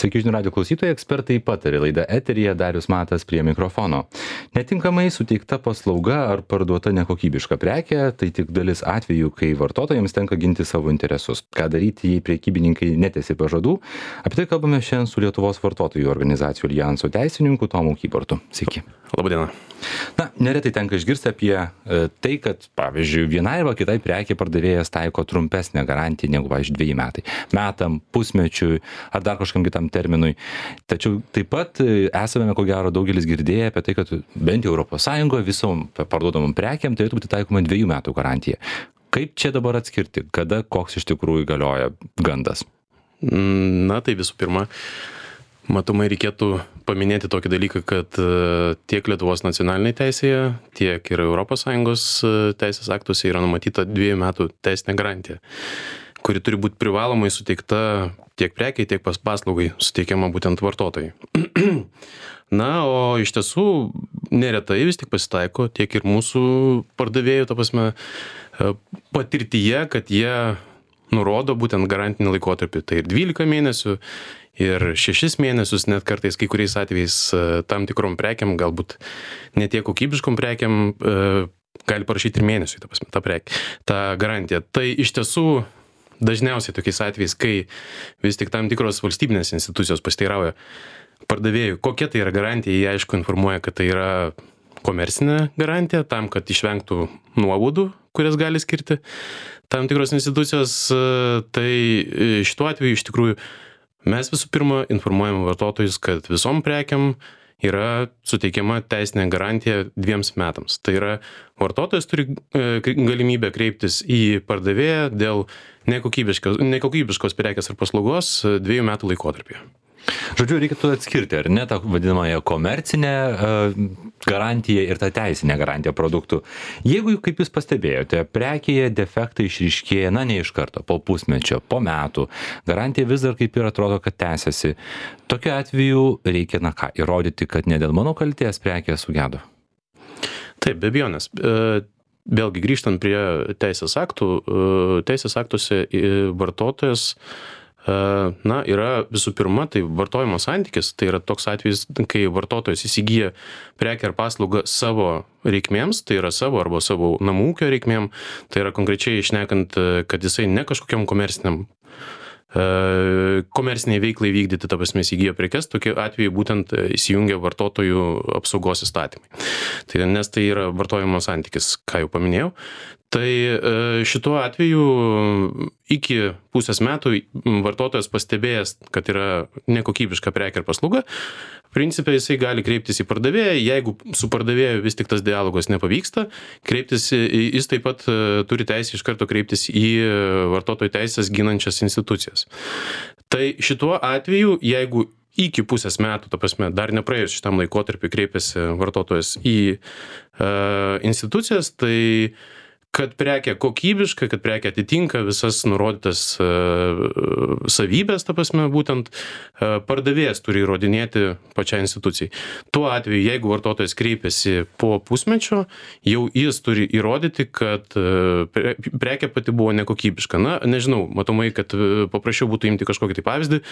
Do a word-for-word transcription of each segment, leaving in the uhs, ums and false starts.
Sveiki žinių radijo klausytojai, ekspertai patarė, laida eteryje, Darius Matas prie mikrofono. Netinkamai suteikta paslauga ar parduota nekokybiška prekė, tai tik dalis atvejų, kai vartotojams tenka ginti savo interesus. Ką daryti, jei prekybininkai netesi pažadų? Apie tai kalbame šiandien su Lietuvos vartotojų organizacijų alijanso teisininku Tomu Kybartu. Sveiki. Labadiena. Na, neretai tenka išgirsti apie e, tai, kad, pavyzdžiui, vienai arba kitai prekė pardavėjas taiko trumpesnę garantiją negu, pavyzdžiui, dviejai metai. Metam, pusmečiui ar dar kažkam kitam terminui. Tačiau taip pat e, esame, ko gero, daugelis girdėję apie tai, kad bent jau Europos Sąjungoje visom parduodamom prekėm turėtų būti taikoma dviejų metų garantija. Kaip čia dabar atskirti, kada koks iš tikrųjų galioja gandas? Na, tai visų pirma, matomai reikėtų paminėti tokį dalyką, kad tiek Lietuvos nacionalinėje teisėje, tiek ir Europos Sąjungos teisės aktuose yra numatyta dviejų metų teisinė garantija, kuri turi būti privalomai suteikta tiek prekiai, tiek pas paslaugai suteikiama būtent vartotojai. Na, o iš tiesų neretai vis tik pasitaiko tiek ir mūsų pardavėjų, ta prasme, patirtyje, kad jie nurodo būtent garantinį laikotarpį. Tai ir dvylika mėnesių, ir šešis mėnesius, net kartais kai kuriais atvejais tam tikrom prekiam, galbūt ne tiek kokybiškom prekiam, gali parašyti ir mėnesiui, ta prasme, tą prekį, tą garantiją. Tai iš tiesų dažniausiai tokiais atvejais, kai vis tik tam tikros valstybinės institucijos pasiteirauja pardavėjų, kokia tai yra garantija, jie aišku informuoja, kad tai yra komercinė garantija, tam, kad išvengtų nuobaudų, kurias gali skirti tam tikros institucijos. Tai šituo atveju iš tikrųjų mes visų pirma informuojame vartotojus, kad visom prekiam yra suteikiama teisinė garantija dviems metams. Tai yra, vartotojas turi galimybę kreiptis į pardavėją dėl nekokybiškos, nekokybiškos prekės ar paslaugos dviejų metų laikotarpyje. Žodžiu, reikėtų atskirti, ar ne, tą vadinamąją komercinę uh, garantiją ir tą teisinę garantiją produktų. Jeigu, kaip jūs pastebėjote, prekėje defektai išryškėja, na, ne iš karto, po pusmečio, po metų, garantija vis dar kaip ir atrodo, kad tęsiasi. Tokiu atveju reikia, na ką, įrodyti, kad ne dėl mano kaltės prekė sugedo. Taip, be abejonės. Vėlgi grįžtant prie teisės aktų, teisės aktuose vartotojas na, yra visų pirma, tai vartojimo santykis, tai yra toks atvejis, kai vartotojas įsigyja prekę ar paslaugą savo reikmėms, tai yra savo arba savo namų ūkio reikmėm, tai yra konkrečiai šnekant, kad jisai ne kažkokiam komerciniam komerciniai veiklai vykdyti, ta prasme, įsigyja prekes, tokiu atveju būtent įsijungia vartotojų apsaugos įstatymai. Tai, nes tai yra vartojimo santykis, ką jau paminėjau. Tai šituo atveju iki pusės metų vartotojas pastebėjęs, kad yra nekokybiška prekė ar paslauga, principe jisai gali kreiptis į pardavėją, jeigu su pardavėju vis tik tas dialogas nepavyksta, kreiptis, jis taip pat turi teisę iš karto kreiptis į vartotojų teisės ginančias institucijas. Tai šituo atveju, jeigu iki pusės metų, ta prasme, dar nepraėjus šitam laikotarpiu kreipiasi vartotojas į uh, institucijas, tai kad prekė kokybiška, kad prekė atitinka visas nurodytas uh, savybės, ta prasme, būtent uh, pardavėjas turi įrodinėti pačiai institucijai. Tuo atveju, jeigu vartotojas kreipiasi po pusmečio, jau jis turi įrodyti, kad uh, pre, prekė pati buvo nekokybiška. Na, nežinau, matomai, kad uh, paprašiau būtų imti kažkokį tai pavyzdį.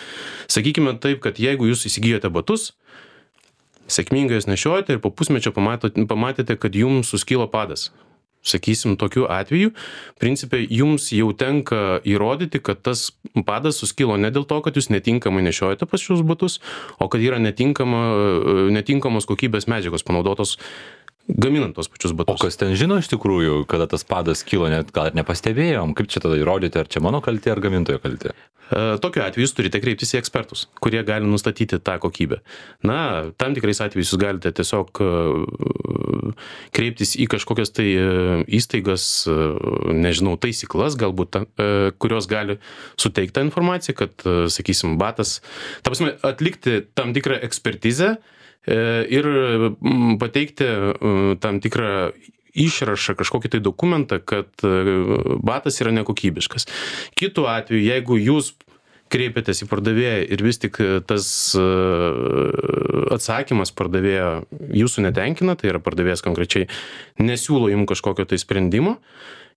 Sakykime taip, kad jeigu jūs įsigijote batus, sėkmingai jas nešiojate ir po pusmečio pamatėte, pamatėte, kad jums suskilo padas. Sakysim, tokiu atveju, principe, jums jau tenka įrodyti, kad tas padas suskilo ne dėl to, kad jūs netinkamai nešiojate pas šios batus, o kad yra netinkama, netinkamos kokybės medžiagos panaudotos gaminant tos pačius batus. O kas ten žino iš tikrųjų, kada tas padas kilo, net gal ir nepastebėjom, kaip čia tada įrodyti, ar čia mano kaltė, ar gamintojo kaltė? Tokiu atveju jūs turite kreiptis į ekspertus, kurie gali nustatyti tą kokybę. Na, tam tikrais atvejais jūs galite tiesiog kreiptis į kažkokias tai įstaigas, nežinau, taisyklas, galbūt, kurios gali suteikti tą informaciją, kad, sakysim, batas, ta prasme, atlikti tam tikrą ekspertizę ir pateikti tam tikrą išrašą, kažkokį tai dokumentą, kad batas yra nekokybiškas. Kitu atveju, jeigu jūs kreipiatės į pardavėją ir vis tik tas atsakymas pardavėjo jūsų netenkina, tai yra pardavėjas konkrečiai nesiūlo jums kažkokio tai sprendimo,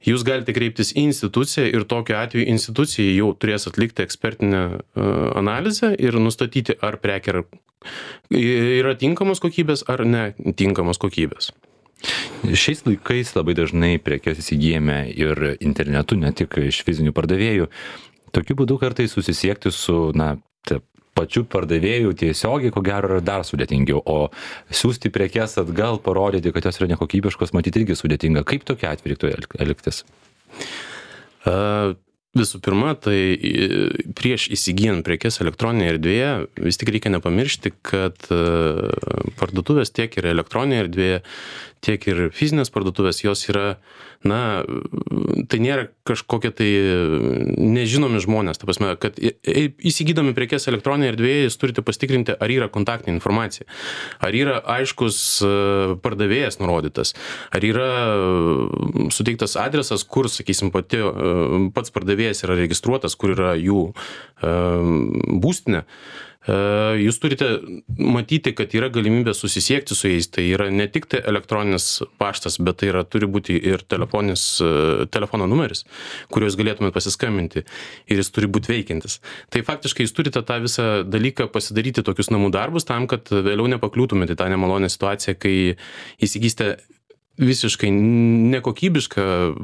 jūs galite kreiptis į instituciją ir tokiu atveju institucija jau turės atlikti ekspertinę analizę ir nustatyti, ar prekė yra tinkamos kokybės ar netinkamos kokybės. Šiais laikais labai dažnai prekes įsigijame ir internetu, ne tik iš fizinių pardavėjų. Tokiu būdu kartais susisiekti su, na, pačiu pardavėju tiesiogiai, ko gero, yra dar sudėtingiau, o siūsti prekes atgal, parodyti, kad jos yra nekokybiškos, matyti irgi sudėtinga. Kaip tokia atveju reiktų elgtis? Uh... Visų pirma, tai prieš įsigijant prekes elektroninėje erdvėje vis tik reikia nepamiršti, kad parduotuvės tiek ir elektroninėje erdvėje, tiek ir fizinės parduotuvės, jos yra, na, tai nėra kažkokie tai nežinomi žmonės. Ta prasme, kad įsigydami prekes elektroninėje erdvėje, jūs turite pasitikrinti, ar yra kontaktinė informacija, ar yra aiškus pardavėjas nurodytas, ar yra suteiktas adresas, kur, sakysim, pati, pats pardavėjas yra registruotas, kur yra jų būstinė. Jūs turite matyti, kad yra galimybė susisiekti su jais. Tai yra ne tik tai elektroninis paštas, bet tai yra, turi būti ir telefoninis, telefono numeris, kuriuo jūs galėtumėte pasiskambinti ir jis turi būti veikiantis. Tai faktiškai jūs turite tą visą dalyką pasidaryti tokius namų darbus tam, kad vėliau nepakliūtumėte į tą nemalonę situaciją, kai įsigysite visiškai nekokybišką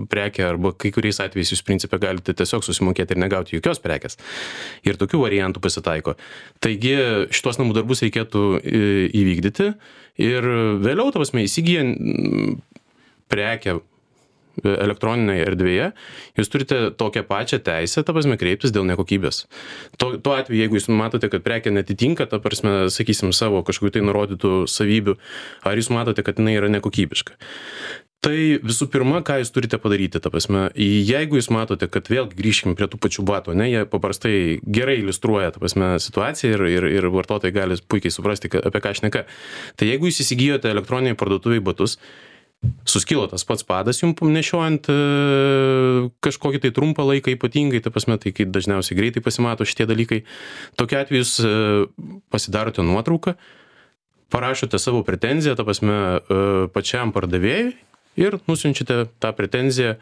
prekę arba kai kuriais atvejais jūs principė galite tiesiog susimokėti ir negauti jokios prekės. Ir tokių variantų pasitaiko. Taigi šitos namų darbus reikėtų įvykdyti ir vėliau, ta prasme, įsigyjant prekę elektroninėje erdvėje, jūs turite tokią pačią teisę, ta prasme, kreiptis dėl nekokybės. Tuo, tuo atveju, jeigu jūs matote, kad prekė netitinka, ta prasme, sakysim, savo kažkokių tai nurodytų savybių, ar jūs matote, kad jinai yra nekokybiška. Tai visų pirma, ką jūs turite padaryti, ta prasme, jeigu jūs matote, kad vėl grįžkime prie tų pačių batų, ne, jie paprastai gerai iliustruoja, ta prasme, situaciją ir, ir, ir vartotojai gali puikiai suprasti, apie ką šneka. Tai jeigu jūs įsigijote elektroninėje parduotuvėje batus, suskilo tas pats padas jums nešiojant kažkokį tai trumpą laiką ypatingai, ta prasme, tai kai dažniausiai greitai pasimato šitie dalykai. Tokiu atveju jūs pasidarote nuotrauką, parašote savo pretenziją, ta prasme, pačiam pardavėjui ir nusiunčiate tą pretenziją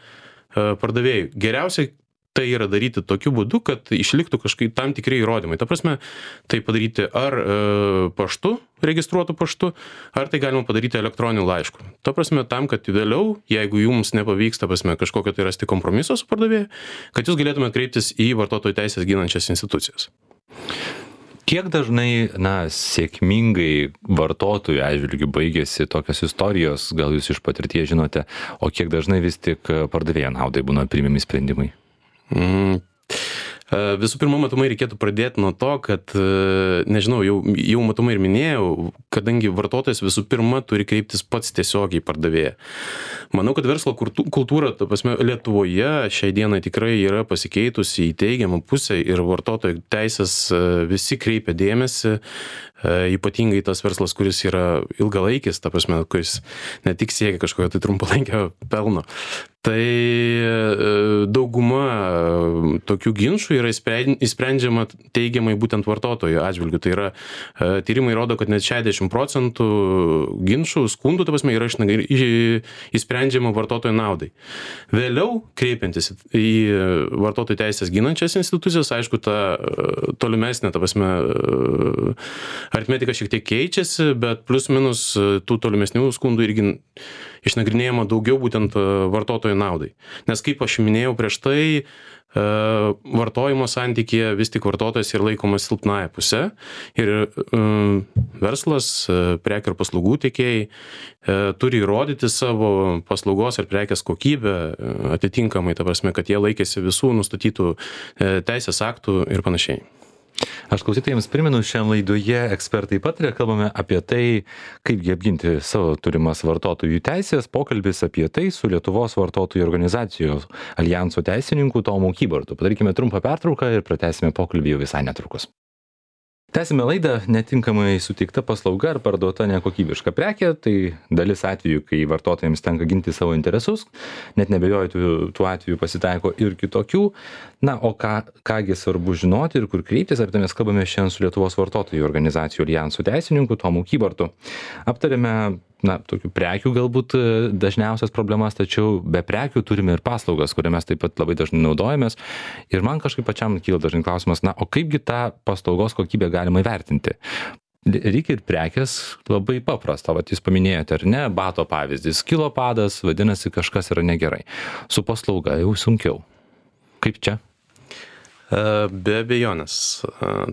pardavėjui. Geriausiai tai yra daryti tokiu būdu, kad išliktų kažkaip tam tikri įrodymai. Ta prasme, tai padaryti ar e, paštu, registruotų paštu, ar tai galima padaryti elektroniniu laišku. Ta prasme, tam, kad vėliau, jeigu jums nepavyks, ta prasme, kažkokio tai rasti kompromiso su pardavėju, kad jūs galėtumėte kreiptis į vartotojų teisės ginančias institucijas. Kiek dažnai, na, sėkmingai vartotojų atžvilgiu baigėsi tokios istorijos, gal jūs iš patirties žinote, o kiek dažnai vis tik pardavėjo naudai būna priimami sprendimai? Mm. Visų pirma, matomai reikėtų pradėti nuo to, kad, nežinau, jau, jau matomai ir minėjau, kadangi vartotojas visų pirma turi kreiptis pats tiesiogiai pardavėją. Manau, kad verslo kultūra, ta prasme, Lietuvoje šiai dienai tikrai yra pasikeitusi į teigiamą pusę ir vartotojų teisės visi kreipia dėmesį, ypatingai tas verslas, kuris yra ilgalaikis, ta prasme, kuris ne tik siekia kažkokio tai trumpalaikio pelno. Tai dauguma tokių ginčų yra įsprendžiama teigiamai būtent vartotojų atžvilgiu. Tai yra, tyrimai rodo, kad net šešiasdešimt procentų ginčų, skundų, ta prasme, yra įsprendžiama vartotojų naudai. Vėliau, kreipiantis į vartotojų teisės ginančias institucijas, aišku, ta tolimesnė, ta prasme, aritmetika šiek tiek keičiasi, bet plus minus tų tolimesnių skundų irgi išnagrinėjama daugiau būtent vartotojų naudai. Nes kaip aš minėjau prieš tai, vartojimo santykyje vis tik vartotojas yra laikomas silpnąja puse ir verslas, prekių ir paslaugų tiekėjai turi įrodyti savo paslaugos ir prekės kokybę atitinkamai, ta prasme, kad jie laikėsi visų nustatytų teisės aktų ir panašiai. Aš klausytojams primenu, šiandien laidoje ekspertai pataria, kalbame apie tai, kaipgi apginti savo turimas vartotojų teisės. Pokalbis apie tai su Lietuvos vartotojų organizacijos aljanso teisininku Tomu Kybartu. Padarykime trumpą pertrauką ir pratęsime pokalbį jau visai netrukus. Tęsime laidą. Netinkamai suteikta paslauga ar parduota nekokybiška prekė, tai dalis atvejų, kai vartotojams tenka ginti savo interesus, net nebejoju, tų, tų atvejų pasitaiko ir kitokių. Na, o ką, kągi svarbu žinoti ir kur kreiptis, apie tai mes kalbame šiandien su Lietuvos vartotojų organizacijų aljansų teisininku Tomu Kybartu. Aptarėme na, tokių prekių galbūt dažniausias problemas, tačiau be prekių turime ir paslaugas, kurią mes taip pat labai dažnai naudojamės. Ir man kažkaip pačiam kyla dažnai klausimas, na, o kaipgi tą paslaugos kokybę galima įvertinti? Reikia ir prekės labai paprasta, vat jūs paminėjote, ar ne, bato pavyzdys, kilo padas, vadinasi, kažkas yra negerai. Su paslauga jau sunkiau. Kaip čia? Be abejonės,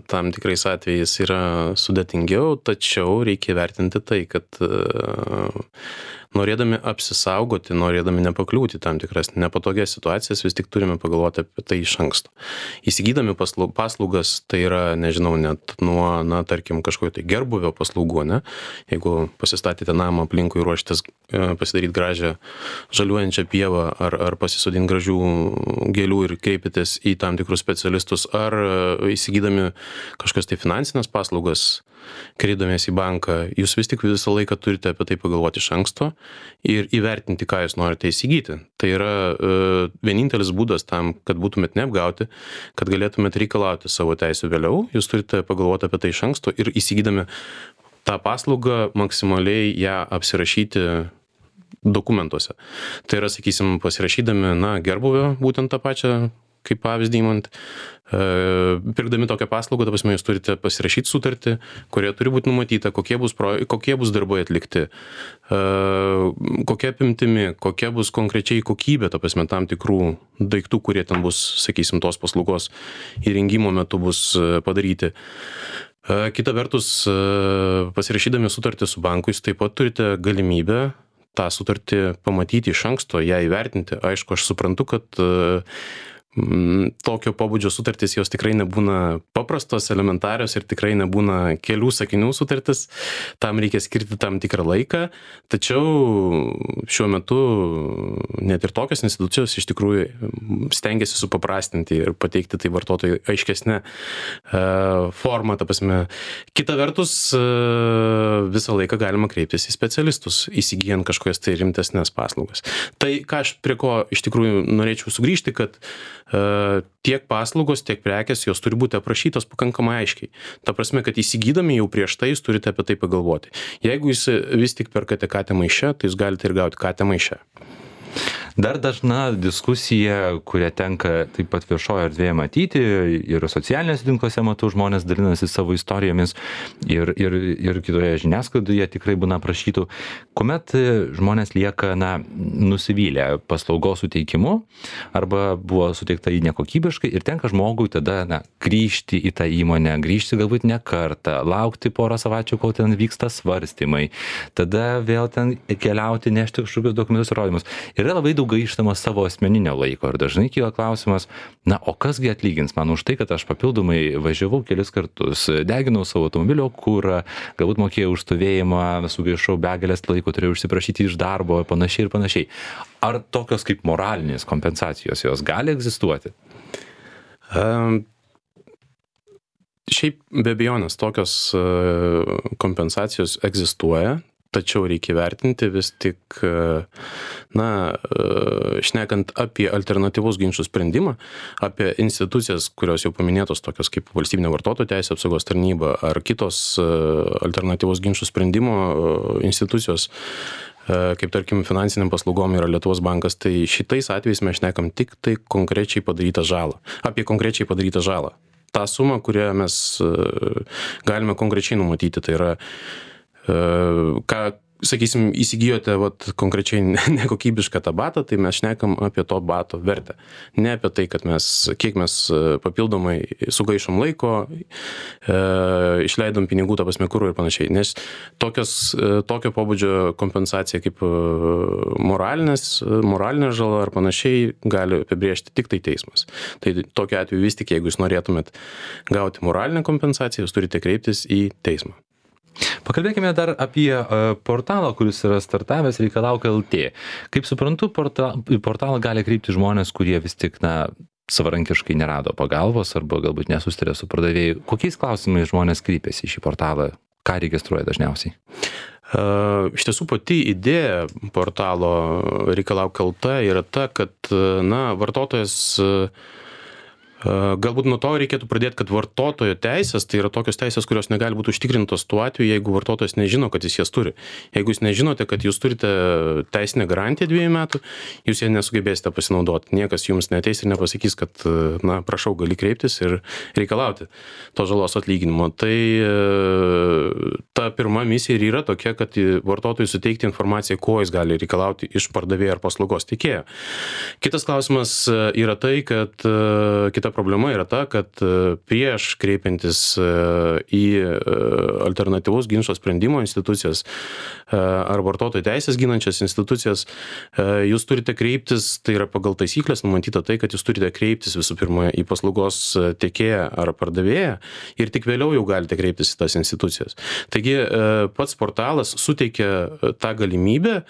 tam tikrais atvejais yra sudėtingiau, tačiau reikia vertinti tai, kad norėdami apsisaugoti, norėdami nepakliūti tam tikras nepatogias situacijas, vis tik turime pagalvoti apie tai iš anksto. Įsigydami paslaugas, tai yra, nežinau, net nuo, na, tarkim, kažkokio tai gerbuvio paslaugų, ne? Jeigu pasistatėte namą aplinkui, ruoštės pasidaryti gražią žaliuojančią pievą ar, ar pasisodinti gražių gėlių ir kreipitės į tam tikrus specialistus, ar įsigydami kažkas tai finansinės paslaugas, kreipdamiesi į banką, jūs vis tik visą laiką turite apie tai pagalvoti iš anksto ir įvertinti, ką jūs norite įsigyti. Tai yra e, vienintelis būdas tam, kad būtumėt neapgauti, kad galėtumėt reikalauti savo teisų vėliau, jūs turite pagalvoti apie tai iš anksto ir įsigydami tą paslaugą maksimaliai ją apsirašyti dokumentuose. Tai yra, sakysim, pasirašydami, na, gerbuvio, būtent tą pačią, kaip pavyzdį įmant, e, pirkdami tokią paslaugą, ta prasme, jūs turite pasirašyti sutartį, kurioje turi būti numatyta, kokie bus, pro, kokie bus darbai atlikti, e, kokia apimtimi, kokia bus konkrečiai kokybė, ta prasme, tam tikrų daiktų, kurie ten bus, sakysim, tos paslaugos įrengimo metu bus padaryti. E, kita vertus, e, pasirašydami sutartį su banku, jūs taip pat turite galimybę tą sutartį pamatyti iš anksto, ją įvertinti. Aišku, aš suprantu, kad e, tokio pobūdžio sutartys jos tikrai nebūna paprastos, elementarios ir tikrai nebūna kelių sakinių sutartis, tam reikia skirti tam tikrą laiką, tačiau šiuo metu net ir tokios institucijos iš tikrųjų stengiasi supaprastinti ir pateikti tai vartotojui aiškesnę formą, ta prasme. Kita vertus, visą laiką galima kreiptis į specialistus, įsigijant kažkokias tai rimtesnės paslaugas. Tai, ką aš prie ko iš tikrųjų norėčiau sugrįžti, kad tiek paslaugos, tiek prekės, jos turi būti aprašytos pakankamai aiškiai. Ta prasme, kad įsigydami jau prieš tai jūs turite apie tai pagalvoti. Jeigu jūs vis tik perkate katę maiše, tai jūs galite ir gauti katę maiše. Dar dažna diskusija, kurią tenka taip pat viešoje erdvėje matyti, ir socialinėse tinkluose matau, žmonės dalinasi savo istorijomis ir, ir, ir kitoje žiniasklaidoje tikrai būna prašytų, kuomet žmonės lieka, na, nusivylę paslaugos suteikimu arba buvo suteikta į nekokybiškai ir tenka žmogui tada, na, grįžti į tą įmonę, grįžti galbūt ne kartą, laukti porą savaičių, kol ten vyksta svarstymai, tada vėl ten keliauti, nešti kažkokius dokumentus ir rodymus. Yra labai daug gaištama savo asmeninio laiko ir dažnai kyla klausimas, na, o kasgi atlygins man už tai, kad aš papildomai važiavau kelis kartus, deginau savo automobilio kurą, galbūt mokėjau už stovėjimą, sugaišau begalės laiko, turėjau užsiprašyti iš darbo, panašiai ir panašiai. Ar tokios kaip moralinės kompensacijos jos gali egzistuoti? Um. Šiaip be abejonės tokios kompensacijos egzistuoja, tačiau reikia vertinti vis tik, na, šnekant apie alternatyvus ginčų sprendimą, apie institucijas, kurios jau paminėtos, tokios kaip Valstybinė vartotojų teisių apsaugos tarnyba ar kitos alternatyvus ginčų sprendimo institucijos, kaip tarkim finansiniam paslaugom yra Lietuvos bankas, tai šitais atvejais mes šnekam tik tai konkrečiai padarytą žalą, apie konkrečiai padarytą žalą. Ta suma, kurią mes galime konkrečiai numatyti, tai yra, ką, sakysim, įsigijote vat, konkrečiai nekokybišką tą batą, tai mes šnekam apie to bato vertę. Ne apie tai, kad mes, kiek mes papildomai sugaišom laiko, e, išleidom pinigų, ta prasme, kurų ir panašiai. Nes tokios, tokio pobūdžio kompensacija kaip moralinės, moralinė žala ar panašiai gali apibrėžti tik tai teismas. Tai tokiu atveju vis tik, jeigu jūs norėtumėt gauti moralinę kompensaciją, jūs turite kreiptis į teismą. Pakalbėkime dar apie portalą, kuris yra startavęs Reikalauk L T. Kaip suprantu, portal, portalą gali kreipti žmonės, kurie vis tik, na, savarankiškai nerado pagalbos arba galbūt nesustarė su pardavėju. Kokiais klausimais žmonės kreipiasi į šį portalą? Ką registruoja dažniausiai? Iš tiesų pati idėja portalo Reikalauk L T yra ta, kad, na, vartotojas Galbūt nuo to reikėtų pradėti, kad vartotojo teisės tai yra tokios teisės, kurios negali būti užtikrintos tuo atveju, jeigu vartotojas nežino, kad jis jas turi. Jeigu jūs nežinote, kad jūs turite teisinę garantiją dviejų metų, jūs ją nesugebėsite pasinaudoti. Niekas jums neteis ir nepasakys, kad, na, prašau, gali kreiptis ir reikalauti to žalos atlyginimo. Tai ta pirma misija ir yra tokia, kad vartotojui suteikti informaciją, ko jis gali reikalauti iš pardavėjo ar paslaugos teikėjo. Kitas klausimas yra tai, kad kita problema yra ta, kad prieš kreipiantis į alternatyvaus ginčo sprendimo institucijas ar vartotojų teisės ginančias institucijas, jūs turite kreiptis, tai yra pagal taisyklės numatyta tai, kad jūs turite kreiptis visų pirma į paslaugos tiekėją ar pardavėją ir tik vėliau jau galite kreiptis į tas institucijas. Taigi pats portalas suteikia tą galimybę,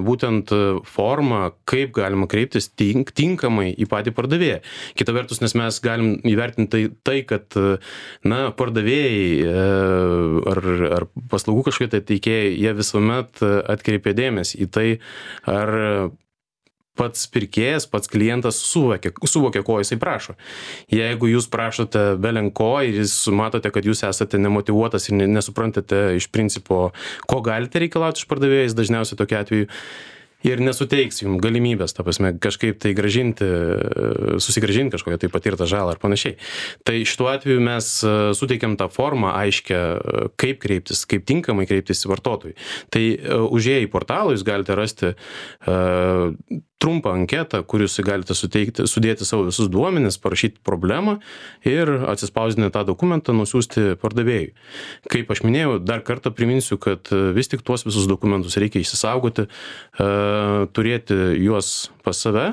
būtent formą, kaip galima kreiptis tink, tinkamai į patį pardavėją. Kita vertus, nes mes galim įvertinti tai, tai kad, na, pardavėjai ar, ar paslaugų kažkokie tai teikėjai, jie visuomet atkreipia dėmesį į tai, ar pats pirkėjas, pats klientas suvokia, suvokia, ko jisai prašo. Jeigu jūs prašote belenko ir jūs matote, kad jūs esate nemotyvuotas ir nesuprantate iš principo, ko galite reikalauti iš pardavėjais, dažniausiai tokiu atveju ir nesuteiks jums galimybės, ta prasme, kažkaip tai gražinti, susigražinti kažkokią tai patirtą žalą ar panašiai. Tai šituo atveju mes suteikiam tą formą aiškę, kaip kreiptis, kaip tinkamai kreiptis vartotojui. Tai užėję į portalą jūs galite rasti uh, trumpą anketą, kur jūs galite suteikti, sudėti savo visus duomenis, parašyti problemą ir atsispausdinę tą dokumentą nusiųsti pardavėjui. Kaip aš minėjau, dar kartą priminsiu, kad vis tik tuos visus dokumentus reikia įsisaugoti, turėti juos pas save,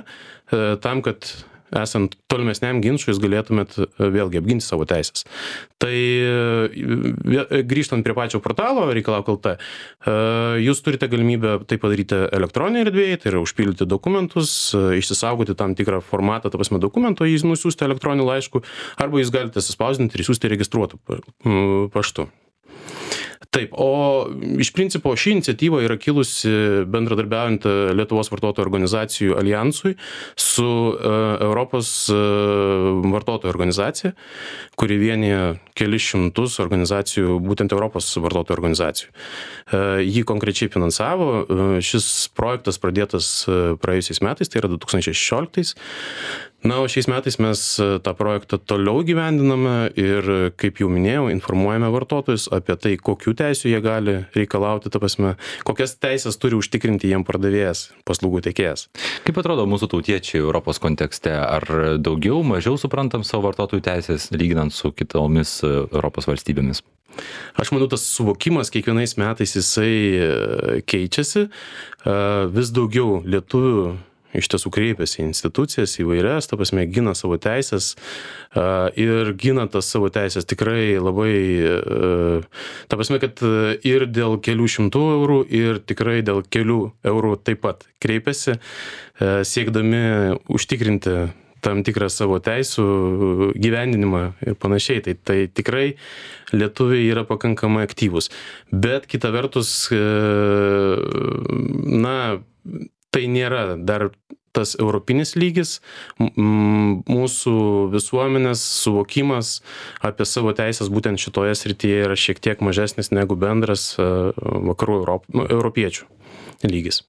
tam, kad esant tolimesniam ginčui jūs galėtumėt vėlgi apginti savo teisės. Tai grįžtant prie pačio portalo Reikalauk taškas lt, jūs turite galimybę tai padaryti elektroninėje erdvėje, tai yra užpildyti dokumentus, išsisaugoti tam tikrą formatą, ta prasme dokumento, jį nusiųsti elektroniniu laišku, arba jūs galite suspausdinti ir siųsti registruotu paštu. Taip, o iš principo ši iniciatyva yra kilusi bendradarbiaujant Lietuvos vartotojų organizacijų alijansui su Europos vartotojų organizacija, kuri vienyje kelis šimtus organizacijų, būtent Europos vartotojų organizacijų. Jį konkrečiai finansavo, šis projektas pradėtas praėjusiais metais, tai yra du tūkstančiai šešioliktais. Na, o šiais metais mes tą projektą toliau gyvendiname ir, kaip jau minėjau, informuojame vartotojus apie tai, kokių teisių jie gali reikalauti, ta prasme, kokias teisės turi užtikrinti jiem pardavėjas, paslaugų teikėjas. Kaip atrodo mūsų tautiečiai Europos kontekste? Ar daugiau, mažiau suprantam savo vartotojų teisės, lyginant su kitomis Europos valstybėmis? Aš manau, tas suvokimas kiekvienais metais jisai keičiasi, vis daugiau lietuvių iš tiesų kreipiasi į institucijas įvairias, ta prasme, gina savo teisės ir gina tas savo teisės tikrai labai, ta prasme, kad ir dėl kelių šimtų eurų ir tikrai dėl kelių eurų taip pat kreipiasi, siekdami užtikrinti tam tikrą savo teisų gyvendinimą ir panašiai. Tai, tai tikrai lietuviai yra pakankamai aktyvūs. Bet kita vertus, na, tai nėra dar tas europinis lygis, mūsų visuomenės suvokimas apie savo teisės būtent šitoje srityje yra šiek tiek mažesnis negu bendras vakarų Europ, europiečių lygis.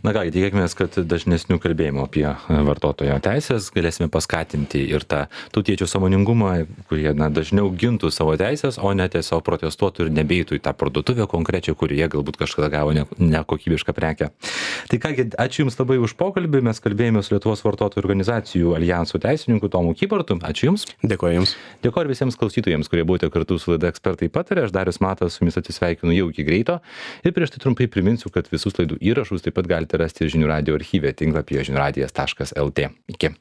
Na ką, tikėkimės, kad dažnesnių kalbėjimų apie vartotojo teisės galėsime paskatinti ir tą tautiečių sąmoningumą, kurie na, dažniau gintų savo teisės, o ne tiesiog protestuotų ir nebeitų į tą parduotuvę konkrečią, kurioje galbūt kažkada gavo nekokybišką prekę. Tai kągi, ačiū Jums labai už pokalbį, mes kalbėjome su Lietuvos vartotojų organizacijų alijansų teisininku Tomu Kybartu. Ačiū Jums. Dėkoju Jums. Dėkoju visiems klausytojams, kurie buvote kartu su laida Ekspertai pataria. Aš Darius Matas su Jumis atsisveikinu jau iki greito ir prieš tai trumpai priminsiu, kad visus laidų įrašus taip pat galite rasti žinių radijo archyve tinklapyje žinių radijas taškas lt. Iki.